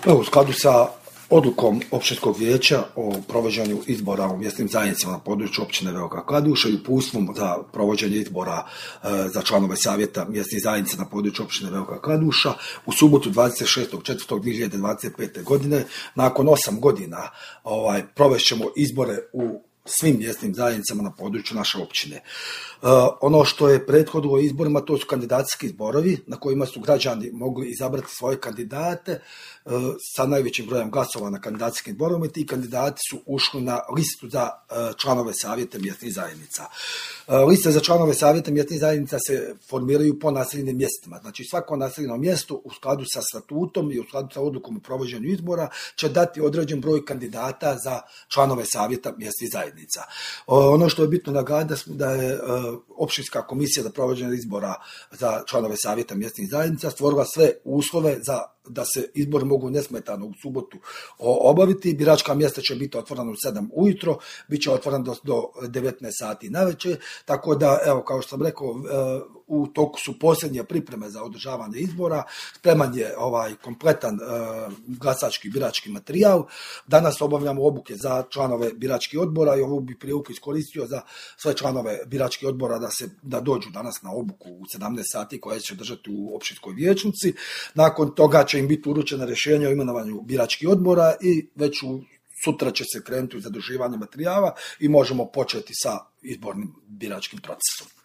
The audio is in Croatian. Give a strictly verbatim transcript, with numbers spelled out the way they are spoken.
Evo, u skladu sa odlukom općinskog vijeća o provođenju izbora u mjesnim zajednicama na području općine Velika Kladuša i uputstvom za provođenje izbora e, za članove savjeta mjesnih zajednica na području općine Velika Kladuša u subotu dvadeset šestog četvrtog dvije hiljade dvadeset pete. godine, nakon osam godina ovaj, provešćemo izbore u svim mjesnim zajednicama na području naše općine. E, ono što je prethodilo izborima, to su kandidacijski zborovi na kojima su građani mogli izabrati svoje kandidate e, sa najvećim brojem glasova na kandidacijskim zborovima i ti kandidati su ušli na listu za e, članove savjeta mjesnih zajednica. E, liste za članove savjeta mjesnih zajednica se formiraju po naseljenim mjestima. Znači svako naseljeno mjesto u skladu sa statutom i u skladu sa odlukom o provođenju izbora će dati određen broj kandidata za članove savjeta mjesnih zajednica. Ono što je bitno naglasiti da je općinska komisija za provođenje izbora za članove savjeta mjesnih zajednica stvorila sve uslove za da se izbori mogu nesmetano u subotu obaviti. Biračka mjesta će biti otvorena u sedam ujutro, bit će otvorena do, do devetnaest sati navečer, tako da, evo, kao što sam rekao, u toku su posljednje pripreme za održavanje izbora, spreman je ovaj kompletan uh, glasački birački materijal. Danas obavljamo obuke za članove biračkih odbora i ovu bi priliku iskoristio za sve članove biračkih odbora da se da dođu danas na obuku u sedamnaest sati koja će držati u općinskoj vijećnici. Nakon toga će im biti uručena rješenja o imenovanju biračkih odbora i već u sutra će se krenuti u zaduživanje materijala i možemo početi sa izbornim biračkim procesom.